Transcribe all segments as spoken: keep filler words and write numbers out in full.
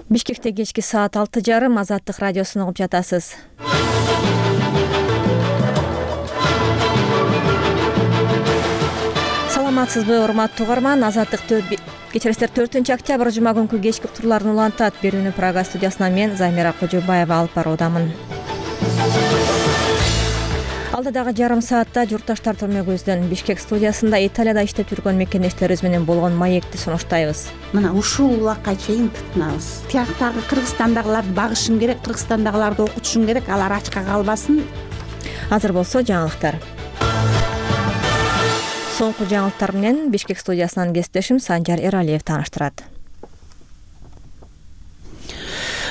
Бишкекте кечки саат алты жарым Азаттык радиосун угуп жатасыз. Саламатсызбы, урматтуу угарман? Азаттык кечиресиздер төртүнчү октябрь жума күнкү кечки уктурууларын улантат. Берүүнү Прага студиясынан мен Замира Кожобаева алып баруудамын. Алдыдагы жарым саатта журтташтар түрмөгүбүздөн Бишкек студиясында Италияда иштеп жүргөн мекендештерибиз менен болгон маекти сунуштайбыз. Мына ушул убакка чейин тытынабыз. Тияктагы Кыргызстандагыларды багышым керек, Кыргызстандагыларды окутушум керек, алар ачка калбасын. Азыр болсо жаңылыктар. Соңку жаңылыктар менен Бишкек студиясынан кесиптешим Санжар Эралиев тааныштырат.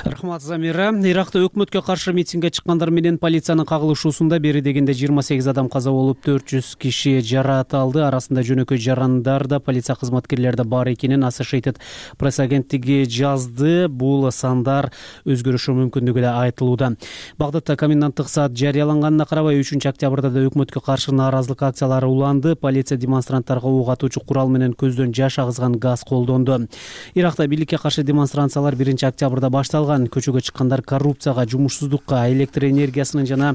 Рахмат, Замира. Иракта өкмөткө каршы митингге чыккандар менен полициянын кагылышуусунда бери дегенде жыйырма сегиз адам каза болуп, төрт жүз киши жараат алды. Арасында жөнөкөй жарандар да, полиция кызматкерлери да бар экенин Associated Press агенттиги жазды. Бул сандар өзгөрүшү мүмкүндүгү да айтылууда. Багдадта коменданттык саат жарыяланганына карабай үчүнчү октябрда да өкмөткө каршы нааразылык акциялары уланды. Полиция демонстранттарга ок атуучу курал менен көздөн жаш агызган газ колдонду. Иракта бийликке каршы демонстрациялар биринчи октябрда башталган. Көчөгө чыккандар коррупцияга, жумушсуздукка, электр энергиясынын жана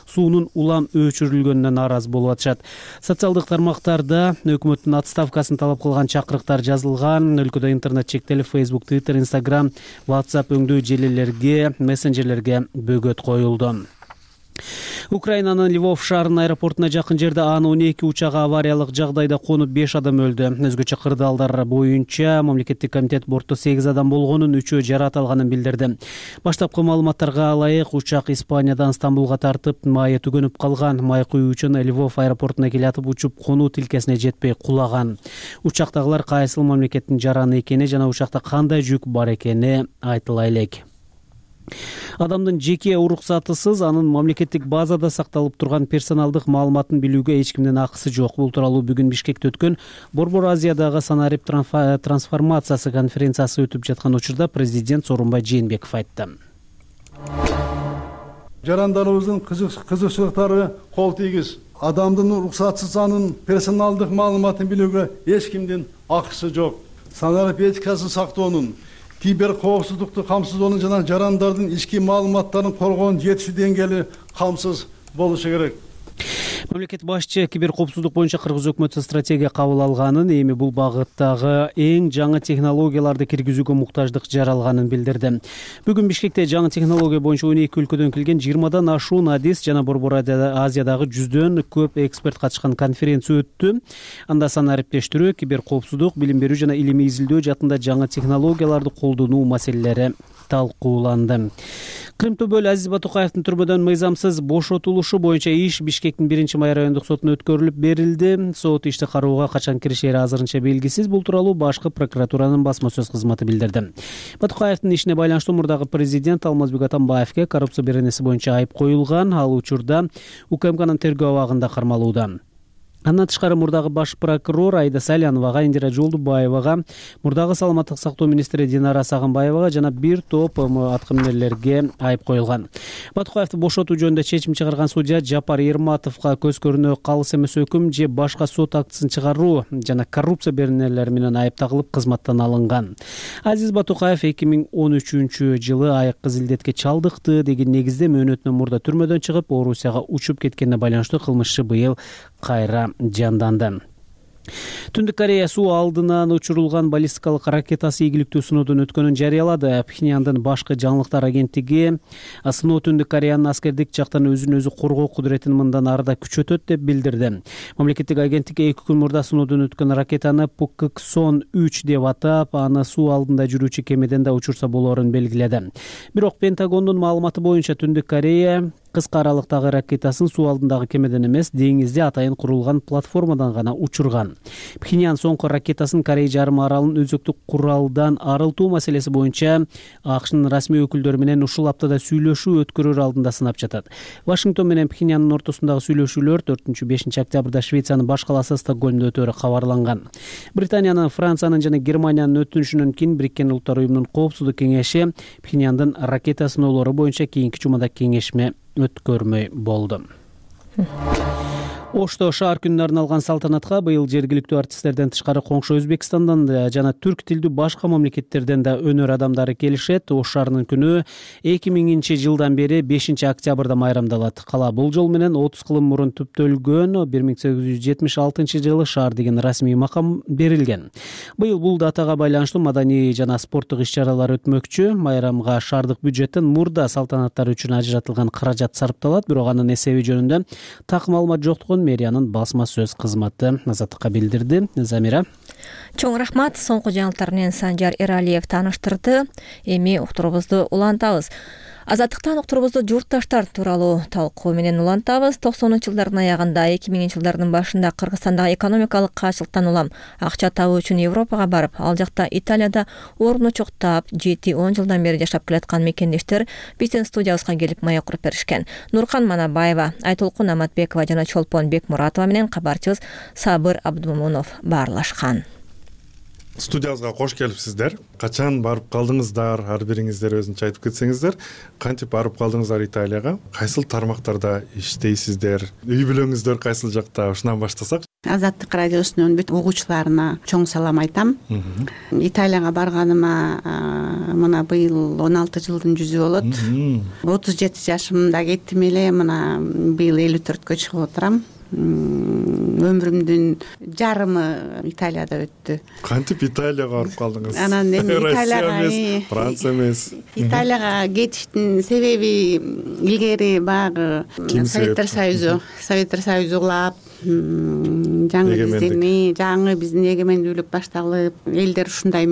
суунун улам өчүрүлгөнүнө нааразы болуп атышат. Социалдык тармактарда өкмөттүн отставкасын талап кылган чакырыктар жазылган. Өлкөдө интернет чектелип, Facebook, Twitter, Instagram, WhatsApp өңдөө желелерге, мессенджерлерге бөгөт коюлду. Украинанын Львов шаарынын аэропортуна жакын жерде Ан он эки учагы авариялык жагдайда конуп беш адам өлдү. Өзгөчө кырдаалдар боюнча мамлекеттик комитет бортто сегиз адам болгонун, үчөө жараат алганын билдирди. Баштапкы маалыматтарга ылайык, учак Испаниядан Стамбулга тартып, майы түгөнүп калган. Май куюу үчүн Львов аэропортуна келатып учуп, конуу тилкесине жетпей кулаган. Учактагылар кайсыл мамлекеттин жараны экени жана учакта кандай жүк бар экени айтыла элек. Адамдын жеке уруксатысыз анын мамлекеттик базада сакталып турган персоналдык маалыматын билүүгө эч кимдин акысы жок. Бул тууралуу бүгүн Бишкекте өткөн Борбор Азиядагы санарип трансформациясы конференциясы өтүп жаткан учурда президент Сооронбай Жээнбеков айтты. Жарандарыбыздын кызыкчылыктары кол тийгиз. Адамдын уруксатсыз анын персоналдык маалыматын билүүгө эч кимдин акысы жок. Санарип этикасын сактоонун, кибер коопсуздукту камсыздоонун жана жарандардын ички маалыматтарын коргоонун жетиштүү деңгээли камсыз болушу керек. Мамлекет башчы кибер коопсуздук боюнча кыргыз өкмөтү стратегия кабыл алганын, эми бул багыттагы эң жаңы технологияларды киргизүүгө муктаждык жаралганын билдирди. Бүгүн Бишкекте жаңы технология боюнча он эки өлкөдөн келген жыйырмадан ашуун адис жана Борбор Азиядагы жүздөн көп эксперт катышкан конференция өттү. Анда санариптештирүү, кибер коопсуздук, билим берүү жана илимий изилдөө жаатында жаңы технологияларды колдонуу маселелери талкууланды. Кырым Төбөл Азиз Батукаевдин түрмөдөн мыйзамсыз бошотулушу боюнча иш Бишкектин биринчи май райондук сотуна өткөрүлүп берилди. Сот ишти кароого качан киришери азырынча белгисиз. Бул тууралуу башкы прокуратуранын басма сөз кызматы билдирди. Батукаевдин ишине байланыштуу мурдагы президент Алмазбек Атамбаевге коррупция беренеси боюнча айып коюлган. Ал учурда УКМКнын тергөө абагында кармалууда. Андан тышкары мурдагы баш прокурор Айда Саляновага, Индира Жолдубаевага, мурдагы саламаттык сактоо министри Динара Сагынбаевага жана бир топ аткаминерлерге айып коюлган. Батукаевди бошотуу жөнүндө чечим чыгарган судья Жапар Ерматовго көз көрүнө калыс эмес өкүм же башка сот актысын чыгаруу жана коррупция беренелери менен айып тагылып кызматтан алынган. Азиз Батукаев эки миң он үчүнчү жылы айыккы илдетке чалдыкты деген негизде мөөнөтүнөн мурда түрмөдөн чыгып, Орусияга учуп кеткенине байланыштуу кылмышчы быйыл кайра жанданды. Түндүк Корея суу алдынан учурулган баллистикалык ракетасы ийгиликтүү сыноодон өткөнүн жарыялады. Пхеньяндын башкы жаңылыктар агенттиги сыноо Түндүк Кореянын аскердик жактан өзүн өзү коргоо кудуретин мындан арыда күчөтөт деп билдирди. Мамлекеттик агенттик эки күн мурда сыноодон өткөн ракетаны Пукксон үч деп атап, аны суу алдында жүрүүчү кемеден да учурса болоорун белгиледи. Бирок Пентагондун маалыматы боюнча Түндүк Корея кыска аралыктагы ракетасын суу алдындагы кемеден эмес, деңизде атайын курулган платформадан гана учурган. Пхеньян соңку ракетасын Корей жарым аралын өзөктүк куралдан арылтуу маселеси боюнча АКШнын расмий өкүлдөрү менен ушул аптада сүйлөшүү өткөрөр алдында сынап жатат. Вашингтон менен Пхеньяндын ортосундагы сүйлөшүүлөр төртүнчү бешинчи октябрда Швециянын баш калаасы Стокгольмдо өтөөрү кабарланган. Британиянын, Франциянын жана Германиянын өтүнүшүнөн кийин Бириккен Улуттар уюмунун Коопсуздук кеңеши Пхеньяндын ракета сыноолору боюнча кийинки жумада кеңешме өткөрмөй болду. Ошто шаар күнүнө арналган салтанатка быйыл жергиликтүү артисттерден тышкары коңшу Өзбекстандан жана түрк тилдүү башка мамлекеттерден да өнөр адамдары келишет. Ош шаарынын күнү эки миңинчи жылдан бери бешинчи октябрда майрамдалат. Кала бул жол менен отуз кылым мурун түптөлгөн. бир миң сегиз жүз жетимиш алтынчы жылы шаар деген расмий макам берилген. Быйыл бул датага байланыштуу маданий жана спорттук иш-чаралар өтмөкчү. Майрамга шаардык бюджеттен мурда салтанаттар үчүн ажыратылган каражат сарпталат, бирок анын эсеби жөнүндө так маалымат жоктугун мэриянын басма сөз кызматы Азаттыкка билдирди. Замира. Чоң рахмат. Соңку жаңылыктар менен Санжар Эралиев тааныштырды. Эми уктурубузду улантабыз. Азаттыктан уктурубузду журтташтар тууралуу талкуу менен улантабыз. токсонунчу жылдардын аягында, эки миңинчи жылдардын башында Кыргызстандагы экономикалык кайчылыктан улам акча табуу үчүн Европага барып, ал жакта Италияда орун чоктап, жети он жылдан бери жашап келаткан мекендештер биздин студиябызга келип маек куруп беришкен. Нуркан Манабаева, Айтолкун Аматбекова жана Чолпон Бекмуратова менен кабарчыбыз Сабыр Абдумунов баарлашкан. Студиябызга кош келипсиздер. Качан барып калдыңыздар? Ар бириңиздер өзүнчө айтып кетсеңиздер. Кантип барып калдыңыздар Италияга? Кайсыл тармактарда иштейсиздер? Үй бүлөңүздөр кайсыл жакта? Ушунан баштасак. Азаттык радиосунун бүт угуучуларына чоң салам айтам. Италияга барганыма мына быйыл он алты жылдын жүзү болот. отуз жети жашымда кеттим эле, мына быйыл элүү төрткө чыгып отурам. Өмүрүмдүн жарымы Италияда өттү. Кантип Италияга барып калдыңыз? Анан эми Италияга, Франция эмес. Италияга кетиштин себеби илгери баягы Советтер Союзу, Советтер Союзу кулап, жаңы биздин жаңы биздин эгемендүүлүк башталып, элдер ушундай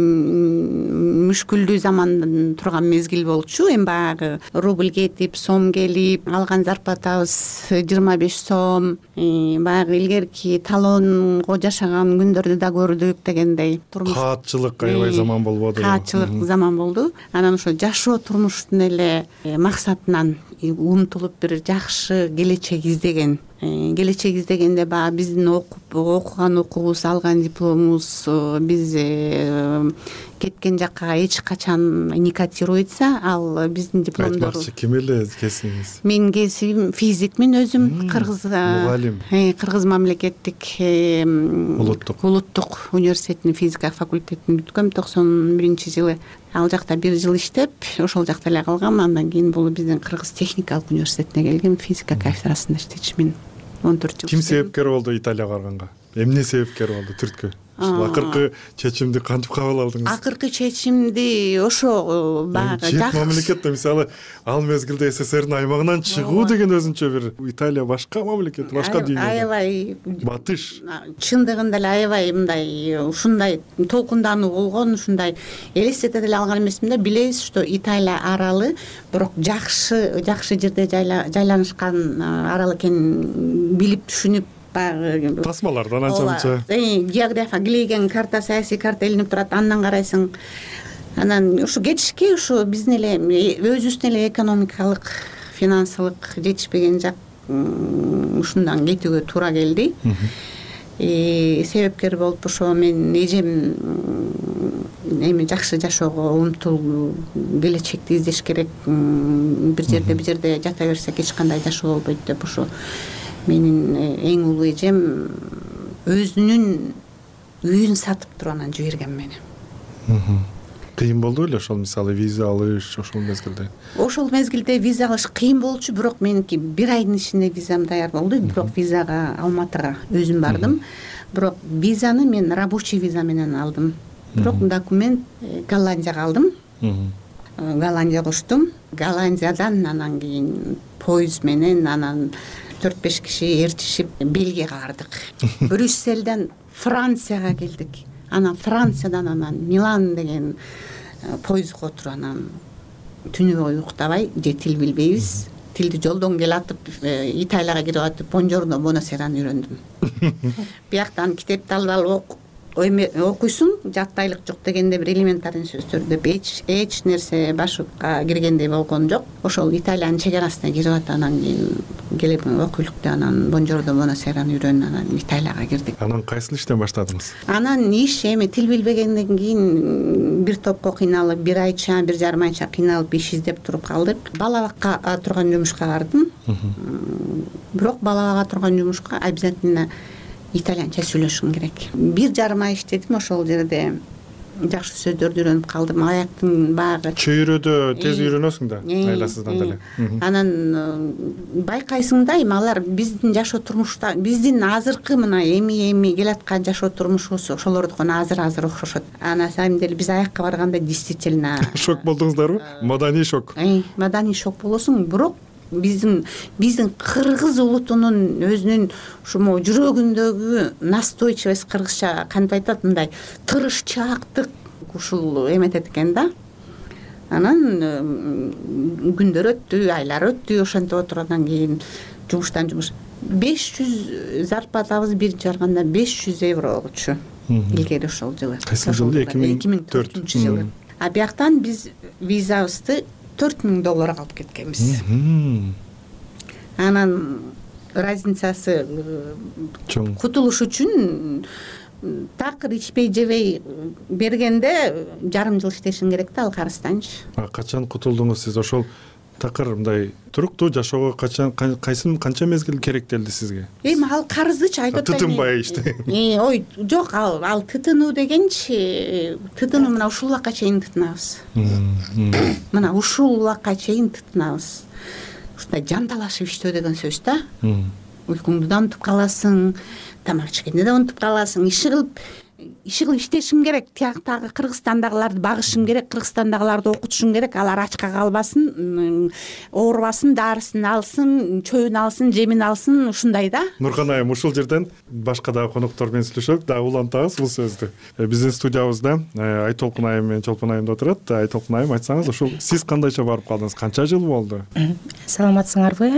мүшкүлдүү замандан турган мезгил болчу. Эми баягы рубль кетип, сом келип, алган зарплатабыз жыйырма беш сом, баягы илгерки талонго жашаган күндөрдү да көрдүк дегендей. Каатчылык аябай заман болбоду. Каатчылык заман болду. Анан ошо жашоо турмуштун эле максатынан умтулуп бир жакшы келечек издеген. Келечек издегенде баягы биздин окуп окуган окуубуз, алган дипломубуз биз кеткен жакка эч качан не котируется. Ал биздин дипломдор. Айтмакчы, ким эле кесибиңиз? Менин кесибим физикмин өзүм. Кыргыз мугалим. Кыргыз мамлекеттик улуттук улуттук университетинин физика факультетин бүткөм токсон биринчи жылы. Ал жакта бир жыл иштеп, ошол жакта эле калгам. Андан кийин бул биздин Кыргыз техникалык университетине келгем, физика кафедрасында иштечимин. он төрт жыл. Ким себепкер болду Италияга барганга? Эмне себепкер болду түрткө? Акыркы чечимди кантип кабыл алдыңыз? Акыркы чечимди ошо баягы жакшы мамлекет, мисалы, ал мезгилде СССРдин аймагынан чыгуу деген өзүнчө бир Италия башка мамлекет, башка дүйнө. Аябай батыш. Чындыгында эле аябай мындай ушундай толкундануу болгон, ушундай элестете деле алган эмесмин да. Билебиз, что Италия аралы, бирок жакшы жакшы жерде жайланышкан арал экенин билип түшүнүп, тасмалардан анча-мынча география килейген карта, саясий карта илинип турат. Андан карайсың, анан ушу кетишке ушу биздин эле өзүбүздүн эле экономикалык, финансылык жетишпеген жак ушундан кетүүгө туура келди. Себепкер болуп ошо мен эжем эми жакшы жашоого умтулуу, келечекти издеш керек, бир жерде бир жерде жата берсек эч кандай жашоо болбойт деп ошо менин эң улуу эжем өзүнүн үйүн сатып туруп анан жиберген мени. Кыйын болду беле ошол, мисалы, виза алыш ошол мезгилде? Ошол мезгилде виза алыш кыйын болчу, бирок меники бир айдын ичинде визам даяр болду. Бирок визага Алматыга өзүм бардым. Бирок визаны мен рабочий виза менен алдым. Бирок документ Голландияга алдым. Голландияга учтум. Голландиядан анан кийин поезд менен анан төрт беш киши ээрчишип Бельгияга бардык. Брюсселден Францияга келдик. Анан Франциядан анан Милан деген поездго отуруп анан түнү бою уктабай, же тил билбейбиз. Тилди жолдон келатып Италияга кирип атып бонжорно бонасераны үйрөндүм. Бияктан китепти алып алып эме окуйсуң, жаттайлык жок дегенде бир элементарный сөздөр деп эч эч нерсе башка киргендей болгон жок. Ошол Италиянын чек арасына кирип атып, анан кийин келип окуйлукту, анан Бонжордо Бонасераны үйрөнүп, анан Италияга кирдик. Анан кайсыл иштен баштадыңыз? Анан иш эми тил билбегенден кийин бир топко кыйналып, бир айча, бир жарым айча кыйналып иш издеп туруп калдык. Бала бакка турган жумушка бардым. Бирок бала бага турган жумушка обязательно итальянча сүйлөшүң керек. Бир жарым ай иштедим, ошол жерде жакшы сөздөрдү үйрөнүп калдым. Аяктын багы чөйрөдө тез үйрөнөсүң да, айласыздан деле. Анан байкайсың да, эми алар биздин жашоо турмушта, биздин азыркы мына эми эми келаткан жашоо турмушубуз ошолордукуна азыр-азыр окшошот. Анан самом деле биз аякка барганда действительно шок болдуңуздарбы? Маданий шок. Маданий шок болосуң, бирок биздин биздин кыргыз улутунун өзүнүн ушул жүрөгүндөгү настойчивость, кыргызча кантип айтат, мындай тырышчаактык ушул эметет экен да. Анан күндөр өттү, айлар өттү, ошентип отургандан кийин жумуштан жумуш беш жүз зарплатабыз биринчи барганда беш жүз евро болчу. Илгери ошол жылы. Кайсы жылы? эки миң төртүнчү жылы. А бияктан биз визабызды төрт миң долларга алып кеткенбиз. Анан разницасы чоң. Кутулуш үчүн такыр ичпей жебей бергенде жарым жыл иштешиң керек да, ал карызданчы. Качан кутулдуңуз сиз? Ошол такыр мындай туруктуу жашоого качан, кайсын канча мезгил керектелди сизге? Эми ал карыздычы айтып атпайбы? Тытынбай иште. Ой, жок, ал ал тытынуу дегенчи, тытынуу мына ушул убакка чейин тытынабыз. Мына ушул убакка чейин тытынабыз. Ушундай жанталашып иштөө деген сөз да. Уйкуңду да унутуп каласың, тамак ичкенде да унутуп каласың. Иши кылып иши кылып иштешиң керек. Тияктагы Кыргызстандагыларды багышың керек, Кыргызстандагыларды окутушуң керек. Алар ачка калбасын, оорубасын, дарысын алсын, чөйүн алсын, жемин алсын, ушундай да. Нуркан айым, ушул жерден башка дагы коноктор менен сүйлөшөк, дагы улантабыз бул сөздү. Биздин студиябызда Айтолкун айым менен Чолпон айым да отурат. Айтолкун айым, айтсаңыз, ушул сиз кандайча барып калдыңыз? Канча жыл болду? Саламатсыңарбы,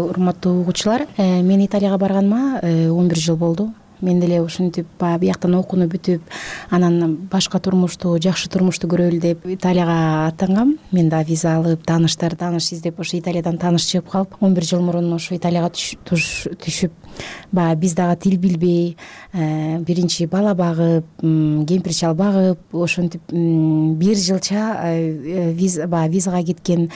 урматтуу угуучулар? Мен Италияга барганыма он бир жыл болду. Мен деле ушинтип баягы бияктан окууну бүтүп, анан башка турмушту, жакшы турмушту көрөлү деп Италияга аттангам. Мен да виза алып, тааныштар, тааныш издеп, ошо Италиядан тааныш чыгып калып, он бир жыл мурун ошо Италияга түшүп, баягы биз дагы тил билбей, биринчи бала багып, кемпир чал багып, ошентип бир жылча виза баягы визага кеткен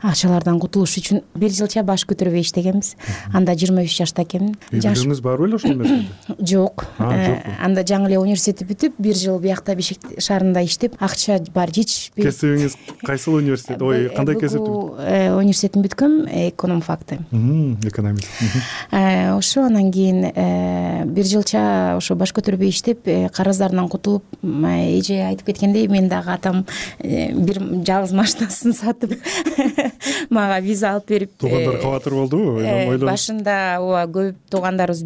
акчалардан кутулуш үчүн бир жылча баш көтөрбөй иштегенбиз. Анда жыйырма үч жашта экенмин. Үй-бүлөңүз бар беле ошол мезгилде? Жок. Анда жаңы эле университетти бүтүп, бир жыл биякта Бишкек шаарында иштеп, акча бар жетишпей. Кесибиңиз кайсыл университет? Ой, кандай кесипти? Университетин бүткөм, эконом факты. Экономист. Ошо анан кийин бир жылча ошо баш көтөрбөй иштеп, карыздарынан кутулуп, эже айтып кеткендей, мен дагы атам бир жалгыз машинасын сатып мага виза алып берип. Туугандар кабатыр болдубу? Башында ооба көп туугандарыбыз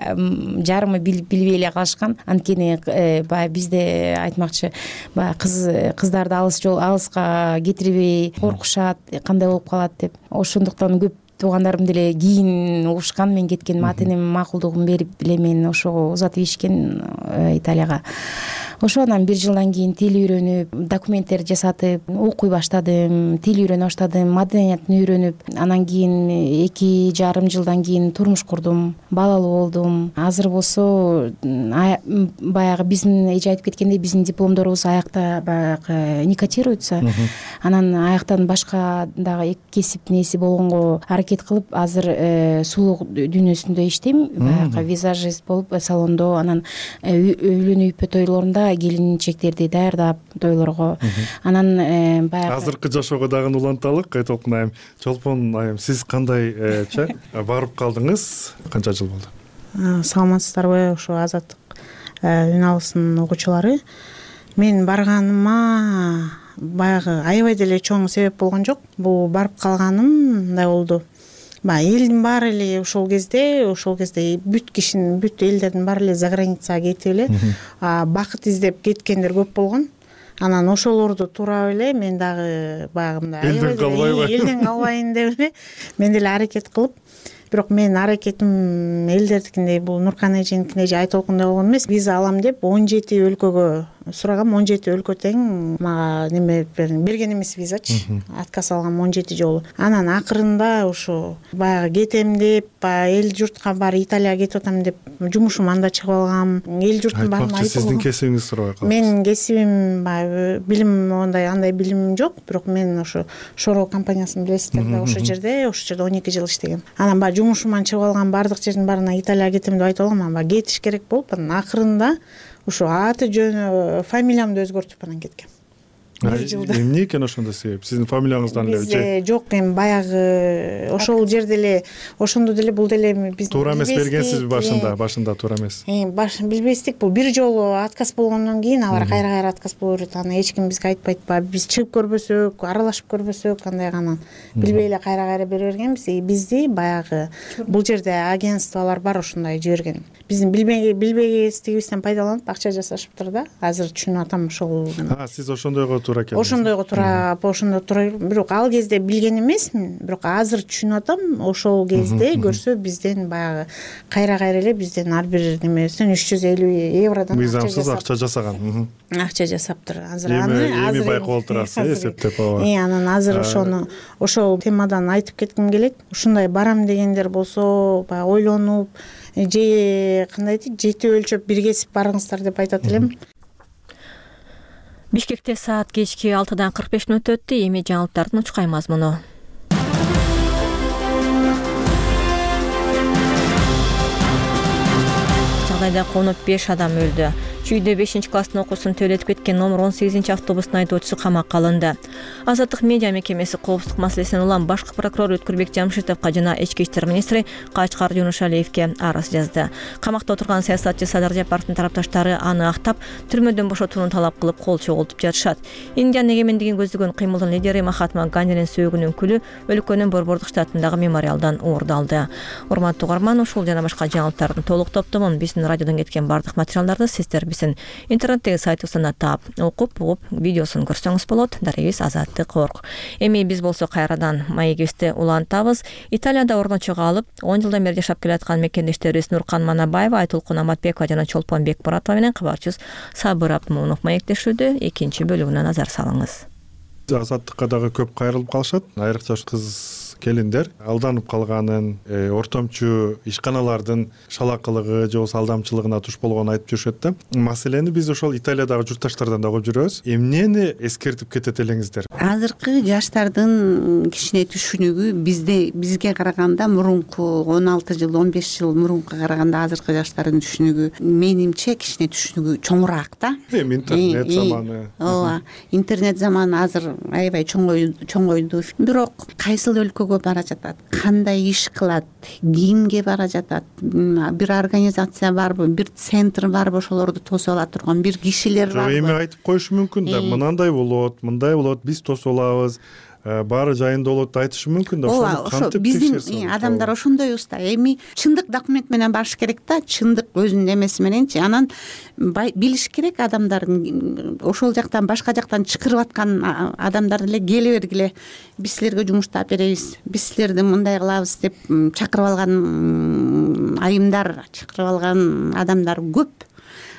жарымы билбей эле калышкан. Анткени баягы бизде айтмакчы, баягы кыз кыздарды алыс жол алыска кетирбей коркушат, кандай болуп калат деп. Ошондуктан көп туугандарым деле кийин угушкан мен кеткеним, ата-энем макулдугун берип эле мен ошого узатып ийишкен Италияга. Ошо анан бир жылдан кийин тил үйрөнүп, документтер жасатып, окуй баштадым, тил үйрөнө баштадым, маданиятын үйрөнүп, анан кийин эки жарым жылдан кийин турмуш курдум, балалуу болдум. Азыр болсо баягы биздин эже айтып кеткендей, биздин дипломдорубуз аякта баягы не котируется. Анан аяктан башка дагы кесип неси болгонго аракет кылып, азыр сулуу дүйнөсүндө иштейм, баягы визажист болуп, салондо, анан үйлөнүү үпө тойлорунда келинчектерди даярдап тойлорго. Анан баягы азыркы жашоого дагы уланталык. Айтолкун айым, Чолпон айым, сиз кандайча барып калдыңыз? Канча жыл болду? Саламатсыздарбы, ошо Азаттык үн алысынын угуучулары? Мен барганыма баягы аябай деле чоң себеп болгон жок. Бул барып калганым мындай болду. Баягы элдин баары эле ошол кезде, ошол кезде бүт кишинин, бүт элдердин баары эле за границага кетип эле бакыт издеп кеткендер көп болгон. Анан ошолорду туурап эле мен дагы баягы мындай элден калбайбы? Элден калбайын деп эле мен деле аракет кылып бирок менин аракетим элдердикиндей, бул Нуркан эженикиндей же Айтолкундой болгон эмес. Виза алам деп он жети өлкөгө сурагам, он жети өлкө тең мага неме берген эмес визачы. Отказ алгам он жети жолу. Анан акырында ушу баягы кетем деп, баягы эл журтка бар Италияга кетип атам деп жумушум анда чыгып алгам. Эл журттун баарын айтмакчы, сиздин кесибиңизди сурабай калдым. Менин кесибим баягы билим, ондай андай билимим жок, бирок мен ошо Шоро компаниясын билесиздер да, ошол жерде ошол жерде он эки жыл иштегем. Анан баягы жумушуман чыгып алгам, баардык жердин баарына Италияга кетем деп айтып алгам. Анан баягы кетиш керек болуп, анан акырында ушу аты жөн фамилиямды өзгөртүп анан кеткем. Эмне экен ошондо себеп? Сиздин фамилияңыздан эле же? Жок, эми баягы ошол жерде эле ошондо деле бул деле биз туура эмес бергенсизби башында? Башында туура эмес. Баш билбестик. Бул бир жолу отказ болгондон кийин алар кайра-кайра отказ боло берет. Аны эч ким бизге айтпайт. Баягы биз чыгып көрбөсөк, аралашып көрбөсөк, кандай гана билбей эле кайра-кайра бере бергенбиз. Бизди баягы бул жерде агентстволор бар, ошондой жиберген. Биздин билбегенстигибизден пайдаланып акча жасашыптыр да. Азыр түшүнүп атам ошол. А, сиз ошондойго туура келдиңиз. Ошондойго туура, ошондо туура. Бирок ал кезде билген эмесмин, бирок азыр түшүнүп атам. Ошол кезде көрсө бизден баягы кайра-кайра эле бизден ар бир немесинен үч жүз элүү евродон мыйзамсыз акча жасаган. Акча жасаптыр. Азыр аны эми байкап олтурасыз, эсептеп ооба. Э, анан азыр ошону ошол темадан айтып кетким келет. Ушундай барам дегендер болсо, баягы ойлонуп, же кандай дейт, жети өлчөп бир кесип барыңыздар деп айтат элем. Бишкекте саат кечки алтыдан кырк беш мүнөт өттү. Эми жаңылыктардын учкай мазмуну. Жагдайда конуп беш адам өлдү. Чүйдө бешинчи класстын окуусун төлөтүп кеткен номер он сегизинчи автобустун айдоочусу камакка алынды. Азаттык медиа мекемеси коопсуздук маселесинен улам башкы прокурор Өткүрбек Жамшитовго жана ички иштер министри Качкар Жунушалиевке арыз жазды. Камакта отурган саясатчы Садыр Жапаровдун тарапташтары аны актап, түрмөдөн бошотууну талап кылып кол чогултуп жатышат. Индиянын эгемендигин көздөгөн кыймылдын лидери Махатма Гандинин сөөгүнүн күлү өлкөнүн Борбордук штатындагы мемориалдан уурдалды. Урматтуу угарман, ушул жана башка жаңылыктардын толук топтомун биздин радиодон кеткен бардык материалдарды сиздер интернеттеги сайтыбыздан таап, окуп, угуп, видеосун көрсөңүз болот. Дарегиз Азаттык Орг. Эми биз болсо кайрадан маегибизди улантабыз. Италияда орночо калып, он жылдан бери жашап келаткан мекендештерибиз Нуркан Манабаева, Айтолкун Аматбекова жана Чолпон Бекмуратова менен кабарчыбыз Сабыр Апмунов маектешүүдө. Экинчи бөлүгүнө назар салыңыз. Азаттыкка дагы көп кайрылып калышат. Айрыкча кыз келиндер алданып калганын, ортомчу ишканалардын шалакылыгы же болбосо алдамчылыгына туш болгонун айтып жүрүшөт да. Маселени биз ошол Италиядагы журтташтардан да угуп жүрөбүз. Эмнени эскертип кетет элеңиздер? Азыркы жаштардын кичине түшүнүгү бизде бизге караганда мурунку он алты жыл, он беш жыл мурунку караганда азыркы жаштардын түшүнүгү менимче кичине түшүнүгү чоңураак да. Эми интернет заманы. Ооба, интернет заманы азыр аябай чоңойду. Бирок кайсыл өлкөгө бара жатат, кандай иш кылат, кимге бара жатат, бир организация барбы, бир центр барбы ошолорду тосуп ала турган бир кишилер барбы? Жок, эми айтып коюшу мүмкүн да, мынандай болот, мындай болот, биз тосуп алабыз, баары жайында болот деп айтышы мүмкүн да. Ооба, ошо биздин адамдар ошондой уста. Эми чындык документ менен барыш керек да, чындык өзүнүн эмеси мененчи. Анан билиш керек адамдар, ошол жактан башка жактан чакырып аткан адамдар эле келе бергиле, биз силерге жумуш таап беребиз, биз силерди мындай кылабыз деп чакырып алган айымдар, чакырып алган адамдар көп.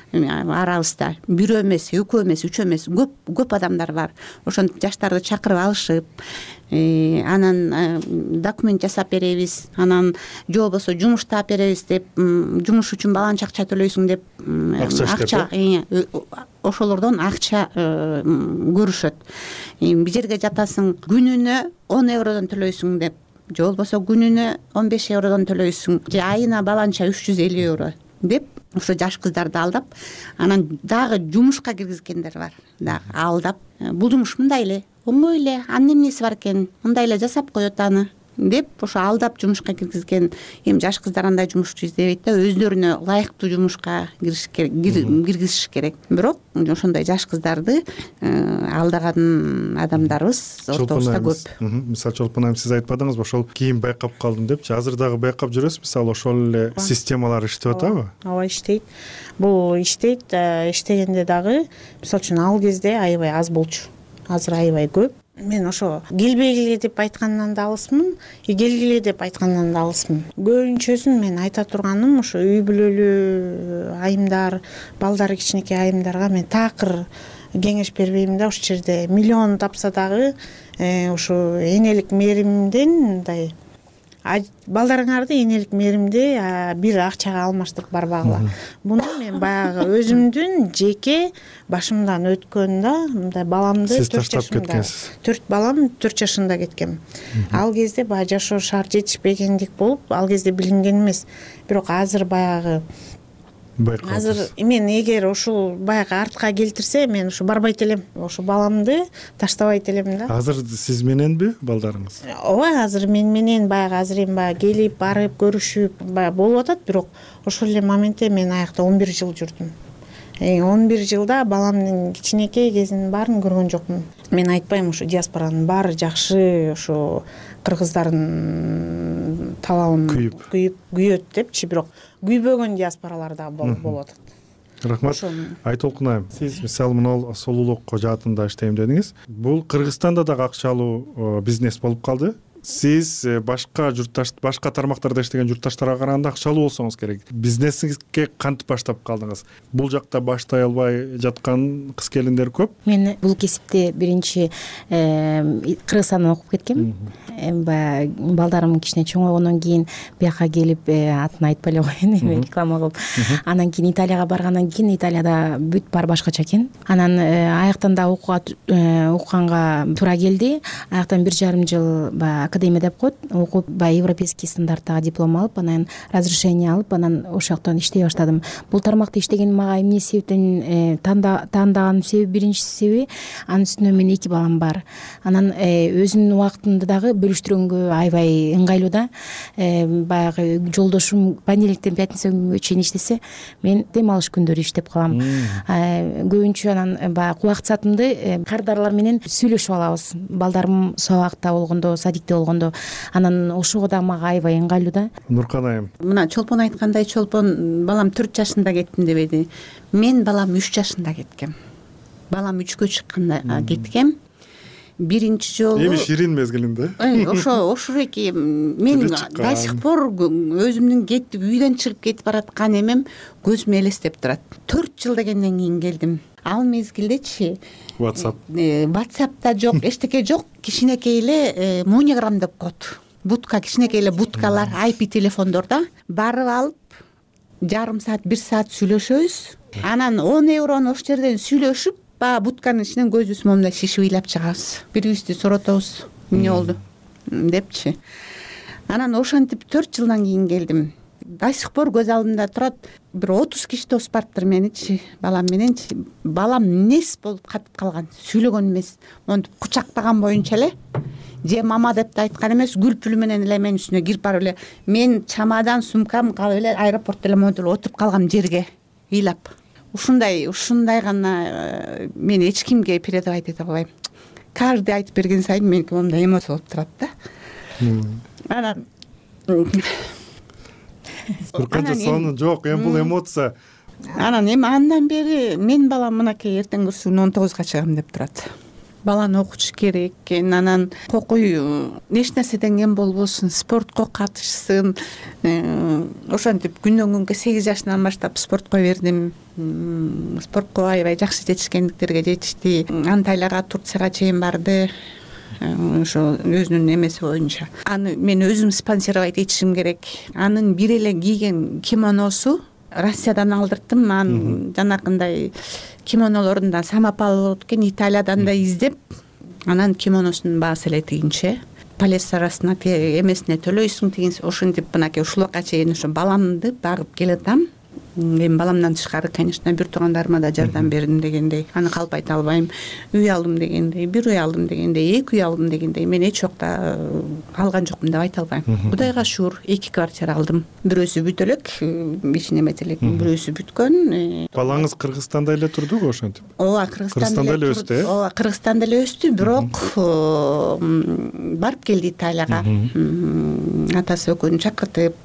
Арабызда бирөө эмес, экөө эмес, үчөө эмес, көп көп адамдар бар. Ошентип жаштарды чакырып алышып, анан документ жасап беребиз, анан же болбосо жумуш таап беребиз деп, жумуш үчүн баланча акча төлөйсүң деп акча, ошолордон акча көрүшөт. Бир жерге жатасың, күнүнө он евродон төлөйсүң деп, же болбосо күнүнө он беш евродон төлөйсүң, же айына баланча үч жүз элүү евро деп ошо жаш кыздарды алдап, анан дагы жумушка киргизгендер бар. Дагы алдап, бул жумуш мындай эле, оңой эле, анын эмнеси бар экен, мындай эле жасап коет аны деп ошо алдап жумушка киргизген. Эми жаш кыздар андай жумушчу издебейт да, өздөрүнө ылайыктуу жумушка кириш керек, киргизиш керек. Бирок ошондой жаш кыздарды алдаган адамдарыбыз ортобузда көп. Мисалы Чолпон айым, сиз айтпадыңызбы, ошол кийин байкап калдым депчи. Азыр дагы байкап жүрөсүз, мисалы ошол эле системалар иштеп атабы? Ооба, иштейт. Бул иштейт, иштегенде дагы, мисалы үчүн ал кезде аябай аз болчу. Азыр аябай көп. мен ошо келбегиле деп айткандан да алысмын, келгиле деп айткандан да алысмын. Көбүнчөсүн мен айта турганым ошо үй бүлөлүү айымдар, балдары кичинекей айымдарга мен такыр кеңеш бербейм да. Ошол жерде миллион тапса дагы ошо энелик мээримден мындай балдарыңарды энелик мээримде бир акчага алмаштырып барбагыла. Буну мен баягы өзүмдүн жеке башымдан өткөн да, мындай баламды төрт жашында, төрт балам төрт жашында кеткем. Ал кезде баягы жашоо шарт жетишпегендик болуп, ал кезде билинген эмес. Бирок азыр баягы азыр мен эгер ушул баягы артка келтирсе, мен ушу барбайт элем, ошо баламды таштабайт элем да. Азыр сиз мененби балдарыңыз? Ооба, азыр мен менен баягы азыр эми баягы келип барып көрүшүп баягы болуп атат, бирок ошол эле моментте мен аякта он бир жыл жүрдүм. он бир жылда баламдын кичинекей кезинин баарын көргөн жокмун. Мен айтпайм ушу диаспоранын баары жакшы, ошо кыргыздардын талабын күйүп күйөт депчи, бирок күйбөгөн диаспоралар да болуп атат. Рахмат. Айтолкун айым, сиз мисалы мына Солулук кожаатында иштейм дедиңиз. Бул Кыргызстанда дагы акчалуу бизнес болуп калды. Сиз башка журтташ башка тармактарда иштеген журтташтарга караганда акчалуу болсоңуз керек. Бизнесиңизге кантип баштап калдыңыз? Бул жакта баштай албай жаткан кыз келиндер көп. Мен бул кесипте биринчи Кыргызстандан окуп кеткем. Баягы балдарым кичине чоңойгондон кийин бияка келип, атын айтпай эле коеюн, эме реклама кылып. Анан кийин Италияга баргандан кийин Италияда бүт баары башкача экен. Анан аяктан да окууга окуганга туура келди. Аяктан бир жарым жыл баягы академия деп коет, окуп баягы европейский стандарттагы диплом алып, анан разрешение алып, анан ошол жактан иштей баштадым. Бул тармакта иштеген мага эмне себептен тандаган себеби, биринчи себеби анын үстүнө менин эки балам бар. Анан өзүмдүн убактымды дагы бөлүштүргөнгө аябай ыңгайлуу да. Баягы жолдошум понедельниктен пятница күнгө чейин иштесе, мен дем алыш күндөрү иштеп калам. Көбүнчө анан баягы убакыт саатымды кардарлар менен сүйлөшүп алабыз. Балдарым сабакта болгондо, садикте болгондо, анан ошого да мага аябай ыңгайлуу да. Нуркан айым, мына Чолпон айткандай, Чолпон балам төрт жашында кеттим дебеди. Мен балам үч жашында кеткем. Балам үчкө чыкканда кеткем. Биринчи жолу эми ширин мезгилинде. Ошо ошо эки мен до сих пор өзүмдүн кетип үйдөн чыгып кетип бараткан эмем көзүмө элестеп турат. төрт жыл дегенден кийин келдим. Ал мезгилдечи WhatsApp WhatsApp да жок, эчтеке жок, кичинекей эле монограмм деп коет. Будка, кичинекей эле будкалар, ай пи телефондордо барып алып, жарым саат, бир саат сүйлөшөбүз. Анан он еврону ошол жерден сүйлөшүп, баягы будканын ичинен көзүбүз момундай шишип ыйлап чыгабыз. Бири-бирибизди соротобуз, эмне болду депчи. Анан ошентип төрт жылдан кийин келдим. До сих пор көз алдымда турат. Бир отуз киши тосуп барыптыр меничи, балам мененчи. Балам нес болуп катып калган, сүйлөгөн эмес. Монтип кучактаган боюнча эле, же мама деп да айткан эмес, гүлпүлү менен эле менин үстүнө кирип барып эле, мен чамадан, сумкам калып эле аэропортто эле монтип эле отуруп калгам жерге, ыйлап. Ушундай, ушундай гана мен эч кимге передавать эте албайм. Каждый айтып берген сайын меники момундай эмоция болуп турат да. Анан Канча сону жок, эми бул эмоция. Анан эми андан бери мен балам мынакей эртең курсун он тогузга чыгам деп турат. Баланы окутуш керек экен, анан кокуй эч нерседен кем болбосун, спортко катышсын. Ошентип күндөн күнгө сегиз жашынан баштап спортко бердим. Спортко аябай жакшы жетишкендиктерге жетишти. Анталияга, Турцияга чейин барды. Ошо өзүнүн эмеси боюнча. Аны мен өзүм спонсировать этишим керек. Анын бир эле кийген кимоносу Россиядан алдырттым. Анын жанакындай кимонолорундан самопал болот экен, Италиядан да издеп, анан кимоносунун баасы эле тигинче. Полиэстерасына эмесине төлөйсүң тигинсе, ошентип мынакей ушулга чейин ошо баламды багып келатам. Эми баламдан тышкары, конечно, бир туугандарыма да жардам бердим дегендей, аны калп айта албайм. Үй алдым дегендей, бир үй алдым дегендей, эки үй алдым дегендей мен эч жокта алган жокмун деп айта албайм. Кудайга шүгүр, эки квартира алдым. Бирөөсү бүт элек, ичине эмете элек, бирөөсү бүткөн. Балаңыз Кыргызстанда эле турдубу ошентип? Ооба, Кыргызстанда эле өстү. Ооба, Кыргызстанда эле өстү, бирок барып келди Италияга. Атасы экөөнү чакыртып,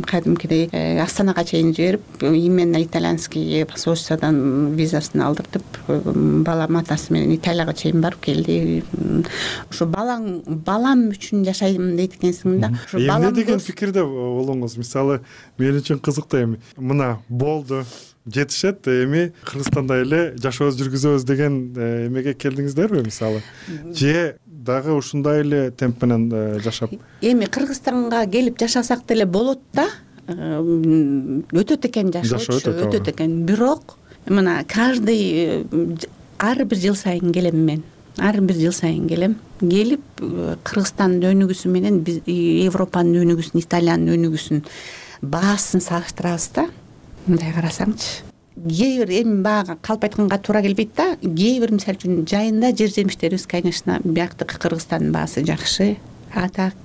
кадимкидей Астанага чейин жиберип, именно итальянский посольстводон визасын алдыртып, балам атасы менен Италияга чейин барып келди. Ошо балаң балам үчүн жашайм дейт экенсиң да. Ошо эмне деген пикирде болуңуз? Мисалы, мен үчүн кызык да эми мына болду, жетишет, эми Кыргызстанда эле жашообузду жүргүзөбүз деген эмеге келдиңиздерби мисалы? Же дагы ушундай эле темп менен жашап? Эми Кыргызстанга келип жашасак деле болот да. Өтөт экен жашоочу, өтөт экен. Бирок мына каждый ар бир жыл сайын келем мен. Ар бир жыл сайын келем. Келип Кыргызстандын өнүгүүсү менен биз Европанын өнүгүүсүн, Италиянын өнүгүүсүн баасын салыштырабыз да. Мындай карасаңчы. Кээ бир эми баягы калп айтканга туура келбейт да. Кээ бир мисалы үчүн жайында жер жемиштерибиз, конечно, бияктыкы Кыргызстандын баасы жакшы. А так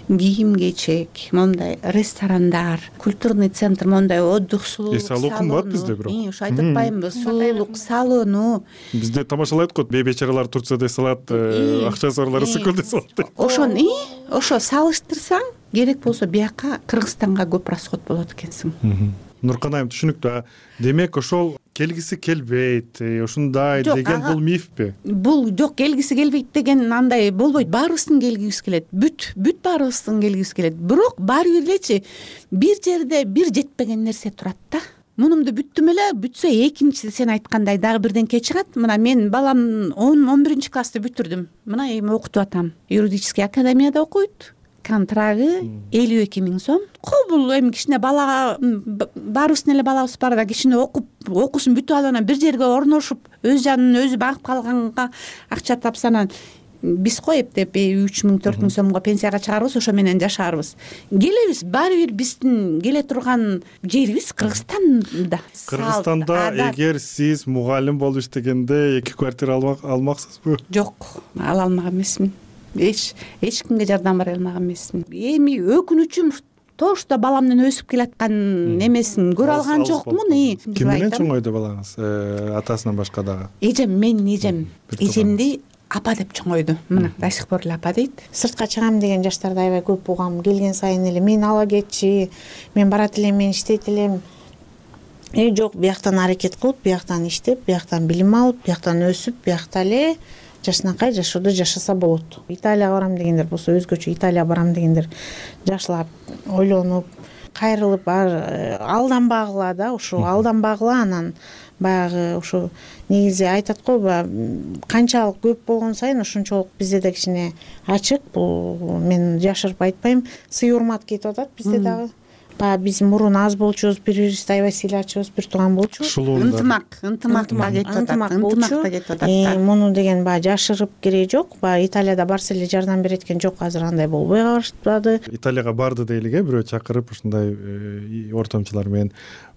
кийим кечек, мондай ресторандар, культурный центр, мондай отдых, сулуулук салону. Эс алуу кымбат бизде бирок. Ошо айтып атпаймынбы, сулуулук салону. Бизде тамашалайт го, бейбечаралар Турцияда салат, акча сорулары Сокөлдө салат. Ошону, ошо салыштырсаң, керек болсо бияка Кыргызстанга көп расход болот экенсиң. Нуркан айым түшүнүктүү. Демек ошол келгиси келбейт, ушундай деген бул мифпи? Бул жок, келгиси келбейт деген андай болбойт. Баарыбыздын келгибиз келет. Бүт бүт баарыбыздын келгибиз келет. Бирок баары бир элечи бир жерде бир жетпеген нерсе турат да. Мунумду бүттүм эле, бүтсө экинчиси сен айткандай дагы бирденке чыгат. Мына мен балам он он биринчи классты бүтүрдүм. Мына эми окутуп атам. Юридический академияда окуйт. Контрагы элүү эки миң сом. Кобул эми кичине балага, баарыбыздын эле балабыз бар да, кичине окуп, окуусун бүтүп алып анан бир жерге орношуп, өз жанын өзү багып калганга акча тапса анан биз кой эптеп үч миң төрт миң сомго пенсияга чыгарбыз, ошо менен жашаарбыз. Келебиз, баары бир биздин келе турган жерибиз Кыргызстанда. Кыргызстанда эгер сиз мугалим болуп иштегенде эки квартира алмаксызбы? Жок, ала алмаган эмесмин. Эч эч кимге жардам бере алмаган эмесмин. Эми өкүнүчүм то что баламдын өсүп келаткан эмесин көрө алган жокмун. Ким менен чоңойду балаңыз? Атасынан башка дагы? Эжем, менин эжем. Эжемди апа деп чоңойду. Мына до сих пор эле апа дейт. Сыртка чыгам деген жаштарды аябай көп угам. Келген сайын эле мен ала кетчи, мен барат элем, мен иштейт элем. Э жок, бияктан аракет кылып, бияктан иштеп, бияктан билим алып, бияктан өсүп, биякта эле жашынакай жашоодо жашаса болот. Италияга барам дегендер болсо өзгөчө, Италияга барам дегендер жашылап, ойлонуп, кайрылып алданбагыла да, ошо алданбагыла. Анан баягы ошо негизи айтат го, канчалык көп болгон сайын ошончолук бизде да кичине ачык. Бул мен жашырып айтпайм, сый урмат кетип атат бизде дагы. Баягы биз мурун аз болчубуз, бири-бирибизди аябай сыйлачубыз, бир тууган болчубуз. Ынтымак, ынтымак кетип атат, ынтымак да кетип атат. Муну деген баягы жашырып кереги жок. Баягы Италияда барса эле жардам берет экен, жок, азыр андай болбой баштады. Италияга барды дейлиге, бирөө чакырып ушундай ортомчулар менен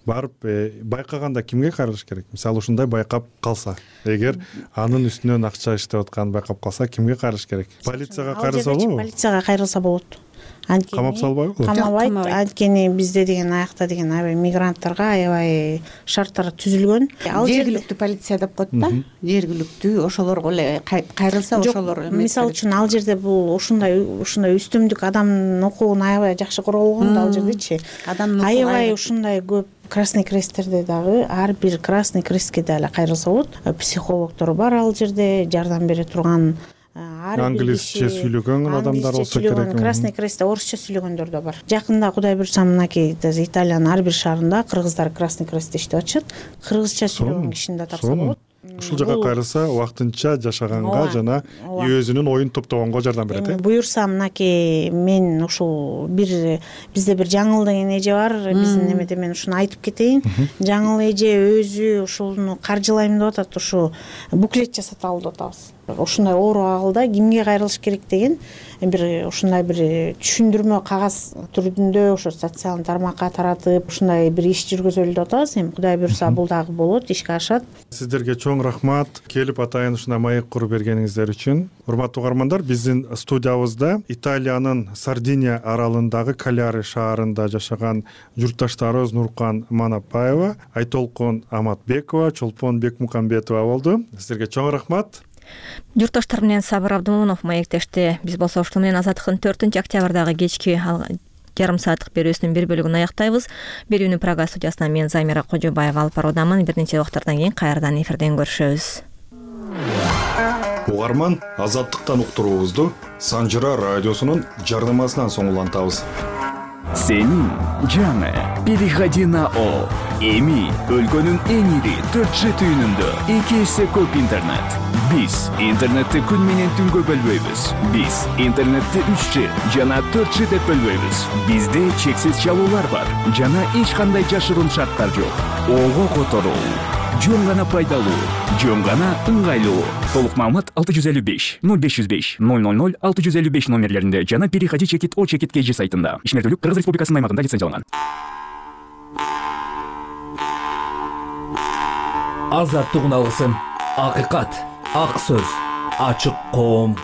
барып байкаганда кимге кайрылыш керек? Мисалы ушундай байкап калса, эгер анын үстүнөн акча иштеп атканын байкап калса, кимге кайрылыш керек? Полицияга кайрылса болобу? Полицияга кайрылса болот. Камап салбайбы? Камабайт. Анткени бизде деген аякта деген аябай мигранттарга аябай шарттар түзүлгөн. Жергиликтүү полиция деп коет да. Жергиликтүү ошолорго эле кайрылса, ошолор. Мисалы үчүн ал жерде бул ушундай ушундай үстүмдүк адамдын укугун аябай жакшы корголгон да ал жердечи. Аябай ушундай көп Красный кресттерде дагы ар бир Красный крестке деле кайрылса болот. Психологдор бар ал жерде, жардам бере турган. Англисче сүйлөгөн адамдар болсо керек. Красный крестте орусча сүйлөгөндөр да бар. Жакында Кудай буйрса мынакей Италиянын ар бир шаарында кыргыздар Красный крестте иштеп атышат. Кыргызча сүйлөгөн кишини да тапса болот. Ушул жака кайрылса убактынча жашаганга жана өзүнүн оюн топтогонго жардам берет. Эми буюрса мынакей мен ушул бир бизде бир жаңыл деген эже бар. Биздин немеде мен ушуну айтып кетейин. Жаңыл эже өзү ушуну каржылайм деп атат. Ушу буклет жасап алып атабыз. Ушундай оору агылда кимге кайрылыш керек деген бир ушундай бир түшүндүрмө кагаз түрүндө ошо социалдык тармакка таратып ушундай бир иш жүргүзөлү деп атабыз. Эми Кудай буйрса бул дагы болот, ишке ашат. Сиздерге чоң рахмат, келип атайын ушундай маек куруп бергениңиздер үчүн. Урматтуу угармандар, биздин студиябызда Италиянын Сардиния аралындагы Каляри шаарында жашаган журтташтарыбыз Нуркан Манапаева, Айтолкун Аматбекова, Чолпон Бекмукамбетова болду. Сиздерге чоң рахмат. Журтташтар менен Сабыр Абдымомунов маектешти. Биз болсо ушуну менен Азаттыктын төртүнчү октябрдагы кечки жарым сааттык берүүсүнүн бир бөлүгүн аяктайбыз. Берүүнү Прага студиясынан мен Замира Кожобаева алып баруудамын. Бир нече убакыттардан кийин кайрадан эфирден көрүшөбүз. Угарман, Азаттыктан уктуруубузду Санжыра радиосунун жарнамасынан соң улантабыз. Сенин жаңы переходи на О. Эми өлкөнүн эң ири төрт Ж түйүнүндө эки эсе көп интернет. Биз интернетти күн менен түнгө бөлбөйбүз. Биз интернетти үч Ж жана төрт Ж деп бөлбөйбүз. Бизде чексиз чалуулар бар жана эч кандай жашыруун шарттар жок. Ого которуу, жөн гана пайдалуу, жөн гана ыңгайлуу. Толук маалымат алты жүз элүү беш ноль беш жүз беш ноль ноль ноль алты жүз элүү беш номерлеринде жана переходи чекит О чекит кей жи сайтында. Ишмердүүлүк Кыргыз Республикасынын аймагында лицензияланган. Азаттык уналгысын, акыйкат, ак сөз, ачык коом.